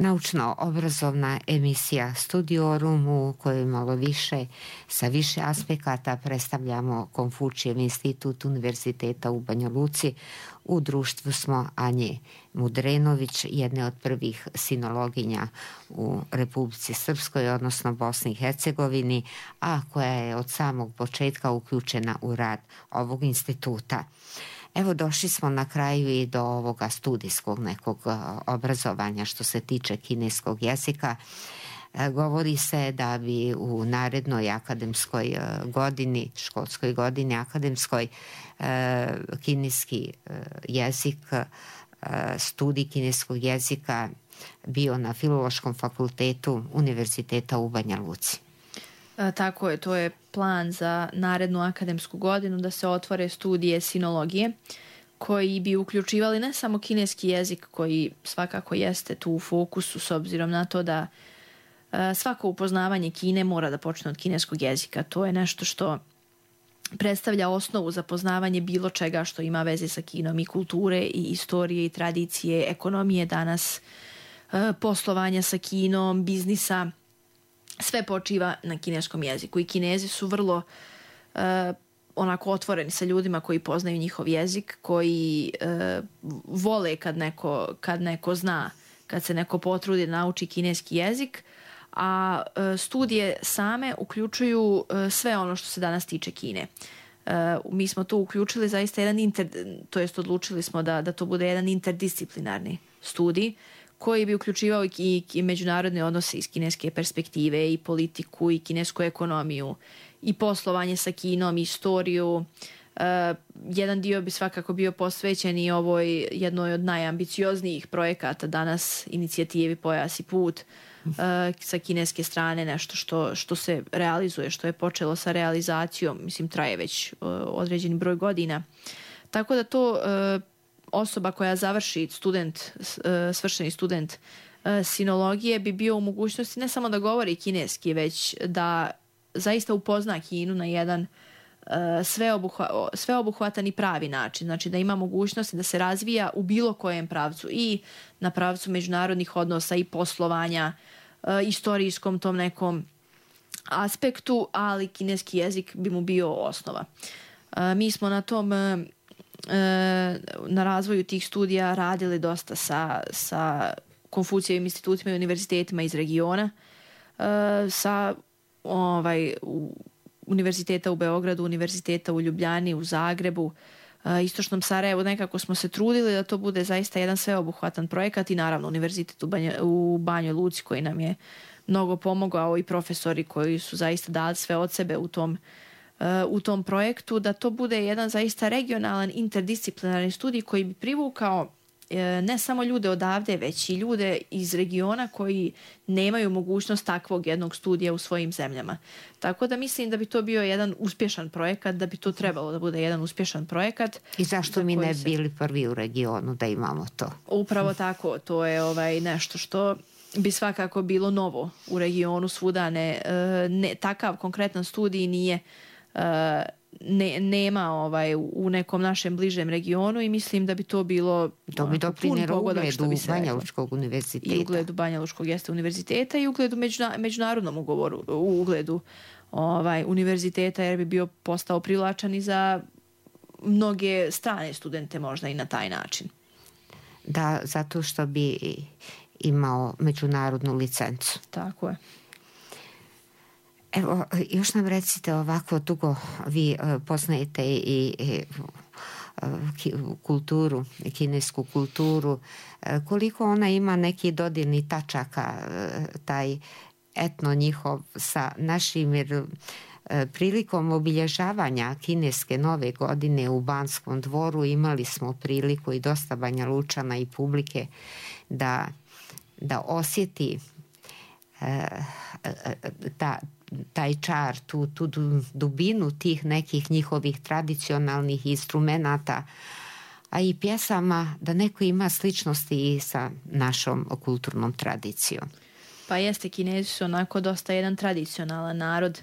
naučno-obrazovna emisija Studiorum u kojoj malo više, sa više aspekata predstavljamo Konfučijev institut Univerziteta u Banja Luci. U društvu smo Anje Mudrenović, jedne od prvih sinologinja u Republici Srpskoj, odnosno Bosni i Hercegovini, a koja je od samog početka uključena u rad ovog instituta. Evo, došli smo na kraju i do ovoga studijskog nekog obrazovanja što se tiče kineskog jezika. Govori se da bi u narednoj akademskoj godini, školskoj godini akademskoj, kineski jezik, studij kineskog jezika bio na Filološkom fakultetu Univerziteta u Banja Luci. Tako je, to je plan za narednu akademsku godinu da se otvore studije sinologije koji bi uključivali ne samo kineski jezik koji svakako jeste tu u fokusu s obzirom na to da svako upoznavanje Kine mora da počne od kineskog jezika. To je nešto što predstavlja osnovu za poznavanje bilo čega što ima veze sa Kinom, i kulture i istorije i tradicije, ekonomije danas, poslovanja sa Kinom, biznisa. Sve počiva na kineskom jeziku i Kinezi su vrlo uh, onako otvoreni sa ljudima koji poznaju njihov jezik, koji uh, vole kad neko, kad neko zna, kad se neko potrudi da nauči kineski jezik, a uh, studije same uključuju uh, sve ono što se danas tiče Kine. Uh, mi smo tu uključili zaista jedan inter, to jest odlučili smo da, da to bude jedan interdisciplinarni studij koji bi uključivao i, i međunarodne odnose iz kineske perspektive, i politiku, i kinesku ekonomiju, i poslovanje sa Kinom, i istoriju. Uh, jedan dio bi svakako bio posvećen i ovoj jednoj od najambicioznijih projekata danas, inicijativi Pojas i put, uh, sa kineske strane, nešto što, što se realizuje, što je počelo sa realizacijom, mislim traje već uh, određeni broj godina. Tako da to uh, osoba koja završi, student, svršeni student sinologije, bi bio u mogućnosti ne samo da govori kineski, već da zaista upozna Kinu na jedan sveobuhva, sveobuhvatan i pravi način. Znači da ima mogućnosti da se razvija u bilo kojem pravcu, i na pravcu međunarodnih odnosa i poslovanja, istorijskom tom nekom aspektu, ali kineski jezik bi mu bio osnova. Mi smo na tom na razvoju tih studija radili dosta sa, sa Konfucijevim institutima i univerzitetima iz regiona, sa ovaj, univerziteta u Beogradu, univerziteta u Ljubljani, u Zagrebu, Istočnom Sarajevu. Nekako smo se trudili da to bude zaista jedan sveobuhvatan projekat, i naravno univerzitet u, Banja, u Banjoj Luci koji nam je mnogo pomogao, i profesori koji su zaista dali sve od sebe u tom u tom projektu, da to bude jedan zaista regionalan interdisciplinarni studij koji bi privukao ne samo ljude odavde, već i ljude iz regiona koji nemaju mogućnost takvog jednog studija u svojim zemljama. Tako da mislim da bi to bio jedan uspješan projekat, da bi to trebalo da bude jedan uspješan projekat. I zašto mi ne se... bili prvi u regionu da imamo to? Upravo tako, to je ovaj nešto što bi svakako bilo novo u regionu svuda. Ne, ne, takav konkretan studij nije Ne, nema ovaj u nekom našem bližem regionu, i mislim da bi to bilo to bi doprinelo ugledu Banjalučkog univerziteta. I ugledu Banjalučkog jeste univerziteta, i ugledu međuna, međunarodnom ugovoru, u ugledu ovaj, univerziteta, jer bi bio postao privlačan i za mnoge strane studente možda i na taj način. Da, zato što bi imao međunarodnu licencu. Tako je. Evo, još nam recite, ovako dugo vi poznajete i, i kulturu, kinesku kulturu, koliko ona ima neki dodirni tačaka, taj etno njihov sa našim, jer prilikom obilježavanja kineske nove godine u Banskom dvoru imali smo priliku, i dosta Banja Lučana i publike, da, da osjeti ta taj čar, tu, tu dubinu tih nekih njihovih tradicionalnih instrumenata, a i pjesama, da neko ima sličnosti i sa našom kulturnom tradicijom. Pa jeste, Kinezi su onako dosta jedan tradicionalan narod,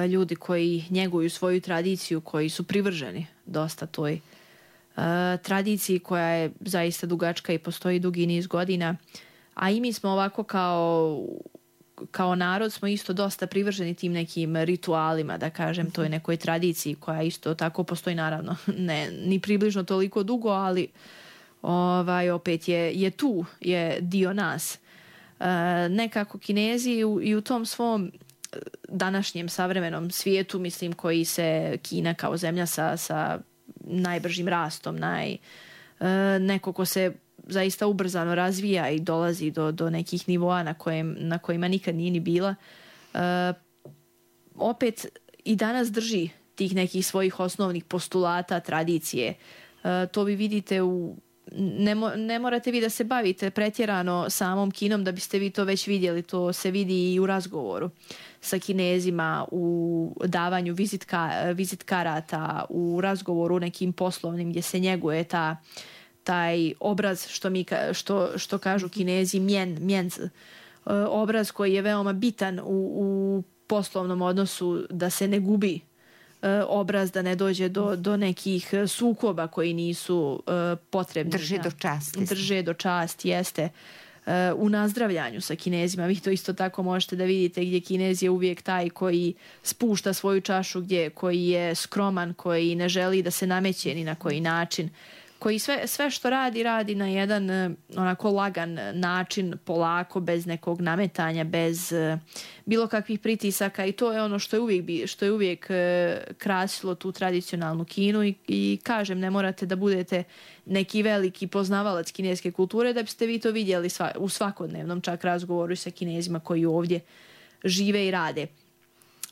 ljudi koji njeguju svoju tradiciju, koji su privrženi dosta toj uh, tradiciji koja je zaista dugačka i postoji dugi niz godina. a i mi smo ovako kao kao narod smo isto dosta privrženi tim nekim ritualima, da kažem, toj nekoj tradiciji koja isto tako postoji, naravno ne ni približno toliko dugo, ali ovaj opet je, je tu, je dio nas. E, nekako Kinezi u, i u tom svom današnjem savremenom svijetu, mislim, koji se Kina kao zemlja sa, sa najbržim rastom, naj, e, neko ko se zaista ubrzano razvija i dolazi do, do nekih nivoa na, kojem, na kojima nikad nije ni bila, e, opet i danas drži tih nekih svojih osnovnih postulata, tradicije. E, to vi vidite u Ne, mo, ne morate vi da se bavite pretjerano samom Kinom da biste vi to već vidjeli. To se vidi i u razgovoru sa Kinezima, u davanju vizitka, vizit karata, u razgovoru nekim poslovnim gdje se njeguje ta, taj obraz što, mi, što, što kažu Kinezi mjen, mjenc, obraz koji je veoma bitan u, u poslovnom odnosu, da se ne gubi obraz, da ne dođe do, do nekih sukoba koji nisu uh, potrebni. Drže do časti. Drže do časti, jeste. Uh, u nazdravljanju sa Kinezima, vi to isto tako možete da vidite, gdje Kinez je uvijek taj koji spušta svoju čašu, gdje, koji je skroman, koji ne želi da se nameće ni na koji način, koji sve, sve što radi, radi na jedan uh, onako lagan način, polako, bez nekog nametanja, bez uh, bilo kakvih pritisaka, i to je ono što je uvijek, što je uvijek uh, krasilo tu tradicionalnu Kinu i, i kažem, ne morate da budete neki veliki poznavalac kineske kulture da biste vi to vidjeli sva, u svakodnevnom čak razgovoru sa Kinezima koji ovdje žive i rade.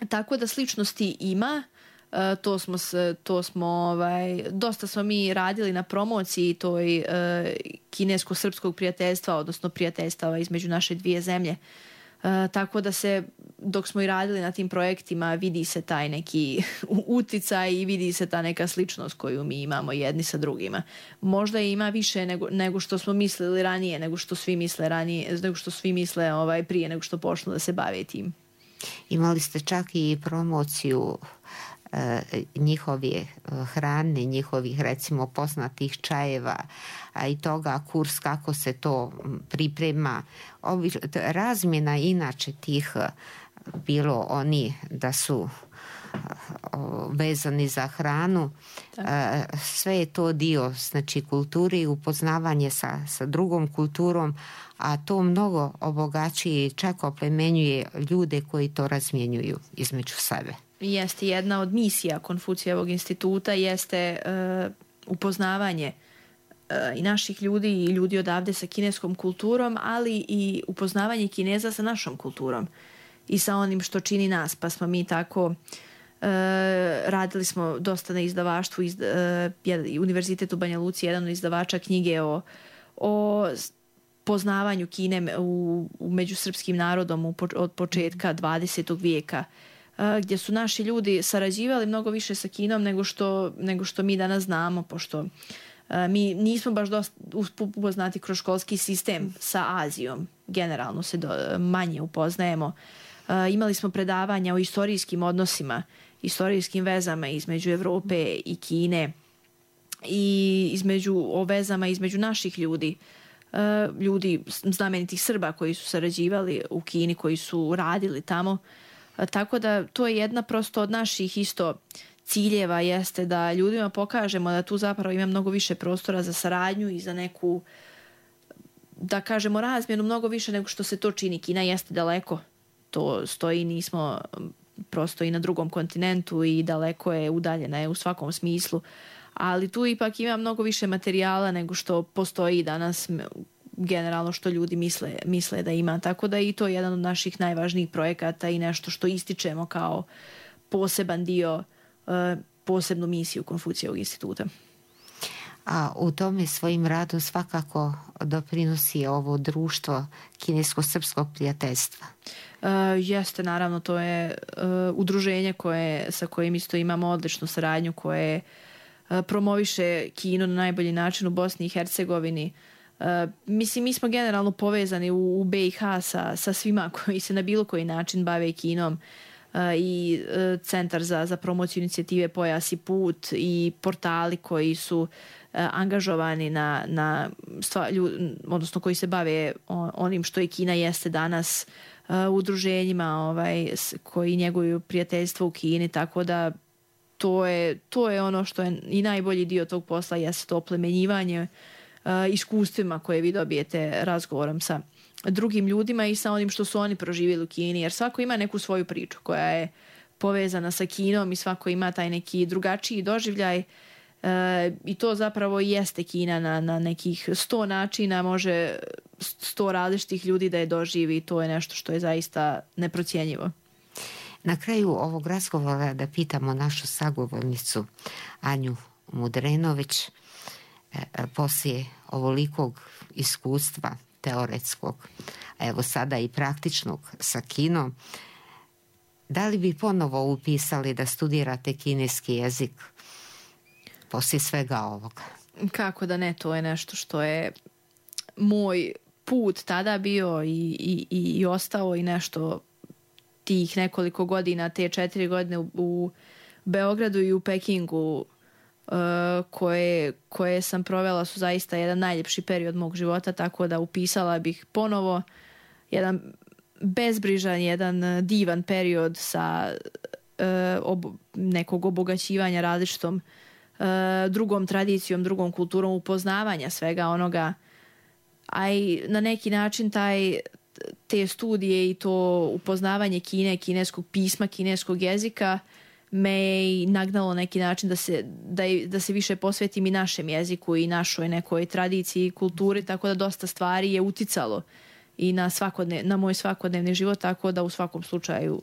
Tako da sličnosti ima. Uh, to smo, to smo ovaj, dosta smo mi radili na promociji toj uh, kinesko-srpskog prijateljstva, odnosno prijateljstava između naše dvije zemlje. Uh, tako da se, dok smo i radili na tim projektima, vidi se taj neki uticaj i vidi se ta neka sličnost koju mi imamo jedni sa drugima. Možda ima više nego, nego što smo mislili ranije, nego što svi misle ranije, nego što svi misle ovaj, prije nego što počnu da se bave tim. Imali ste čak i promociju njihove hrane, njihovih recimo poznatih čajeva, a i toga kurs kako se to priprema. Ovi, razmjena inače tih, bilo oni da su vezani za hranu, tako. Sve je to dio, znači, kulture i upoznavanje sa, sa drugom kulturom, a to mnogo obogaćuje i čak oplemenjuje ljude koji to razmjenjuju između sebe. Jeste jedna od misija Konfucijevog instituta, jeste uh, upoznavanje uh, i naših ljudi i ljudi odavde sa kineskom kulturom, ali i upoznavanje Kineza sa našom kulturom i sa onim što čini nas. Pa smo mi tako uh, radili smo dosta na izdavaštvu, iz, uh, Univerzitet u Banja Luci, jedan od izdavača knjige o, o poznavanju Kine u, u među srpskim narodom u, od početka dvadesetog vijeka, gdje su naši ljudi sarađivali mnogo više sa Kinom nego što, nego što mi danas znamo, pošto uh, mi nismo baš dosta upoznati kroz školski sistem sa Azijom. Generalno se do, manje upoznajemo. Uh, imali smo predavanja o istorijskim odnosima, istorijskim vezama između Evrope i Kine i između, o vezama između naših ljudi. Uh, ljudi, znamenitih Srba koji su sarađivali u Kini, koji su radili tamo. Tako da to je jedna prosto od naših isto ciljeva, jeste da ljudima pokažemo da tu zapravo ima mnogo više prostora za saradnju i za neku, da kažemo, razmjenu mnogo više nego što se to čini. Kina jeste daleko, to stoji, nismo prosto i na drugom kontinentu i daleko je, udaljena je u svakom smislu, ali tu ipak ima mnogo više materijala nego što postoji danas, generalno što ljudi misle, misle da ima. Tako da i to je jedan od naših najvažnijih projekata i nešto što ističemo kao poseban dio, posebnu misiju Konfucijevog instituta. A u tome svojim radom svakako doprinosi ovo društvo kinesko-srpskog prijateljstva. Uh, jeste, naravno, to je uh, udruženje koje, sa kojim isto imamo odličnu saradnju, koje uh, promoviše Kinu na najbolji način u Bosni i Hercegovini. Uh, mislim, mi smo generalno povezani u, u B i H sa, sa svima koji se na bilo koji način bave Kinom. Uh, i uh, Centar za, za promociju inicijative Pojas i put i portali koji su angažovani na, na stva, ljud, odnosno koji se bave onim što je Kina jeste danas, uh, udruženjima ovaj, koji njeguju prijateljstvo u Kini, tako da to je, to je ono što je i najbolji dio tog posla, jeste to oplemenjivanje uh, iskustvima koje vi dobijete razgovorom sa drugim ljudima i sa onim što su oni proživjeli u Kini, jer svako ima neku svoju priču koja je povezana sa Kinom i svako ima taj neki drugačiji doživljaj. E, i to zapravo jeste Kina na, na nekih sto načina, može sto različitih ljudi da je doživi i to je nešto što je zaista neprocjenjivo. Na kraju ovog razgovora da pitamo našu sagovornicu Anju Mudrenović, e, poslije ovolikog iskustva teoretskog, a evo sada i praktičnog sa Kinom, da li bi ponovo upisali da studirate kineski jezik poslije svega ovoga? Kako da ne, to je nešto što je moj put tada bio i, i, i ostao i nešto tih nekoliko godina, te četiri godine u, u Beogradu i u Pekingu uh, koje, koje sam provela su zaista jedan najljepši period mog života, tako da upisala bih ponovo jedan bezbrižan, jedan divan period sa uh, ob, nekog obogaćivanja različitom uh, drugom tradicijom, drugom kulturom, upoznavanja svega onoga, a i na neki način taj, te studije i to upoznavanje Kine, kineskog pisma, kineskog jezika me je nagnalo neki način da se, da, da se više posvetim i našem jeziku i našoj nekoj tradiciji i kulturi, tako da dosta stvari je uticalo i na, svakodne, na moj svakodnevni život, tako da u svakom slučaju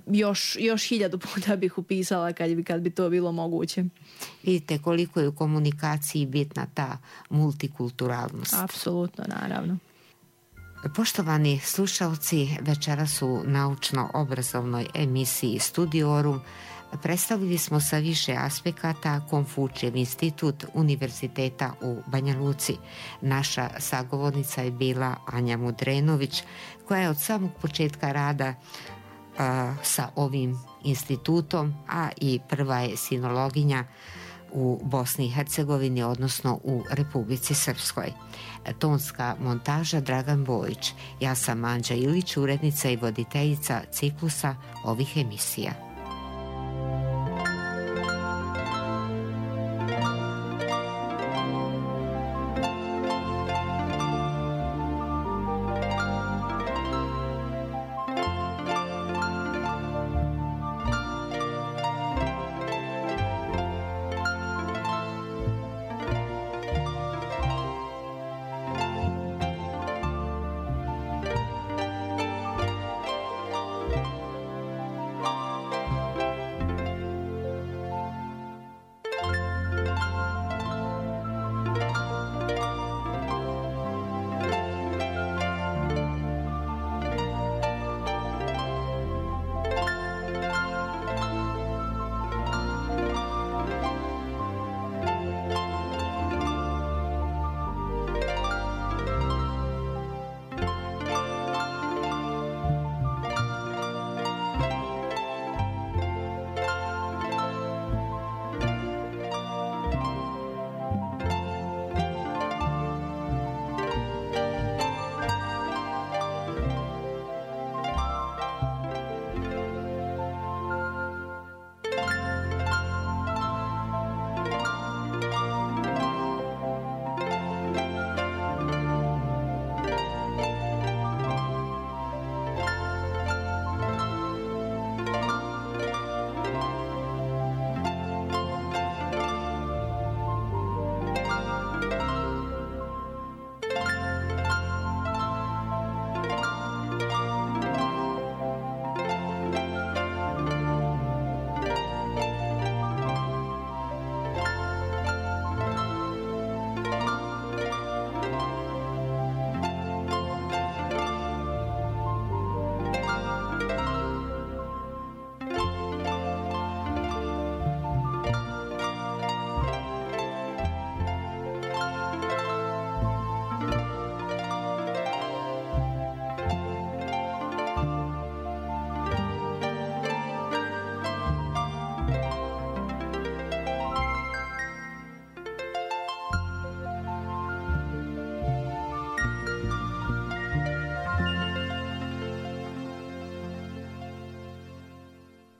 još, još hiljadu puta bih upisala kad bi, kad bi to bilo moguće. Vidite koliko je u komunikaciji bitna ta multikulturalnost. Apsolutno, naravno. Poštovani slušalci, večeras u naučno-obrazovnoj emisiji Studiorum predstavili smo sa više aspekata Konfučijev institut Univerziteta u Banja Luci. Naša sagovornica je bila Anja Mudrenović, koja je od samog početka rada a, sa ovim institutom, a i prva je sinologinja u Bosni i Hercegovini, odnosno u Republici Srpskoj. Tonska montaža Dragan Bojić. Ja sam Anđa Ilić, urednica i voditeljica ciklusa ovih emisija.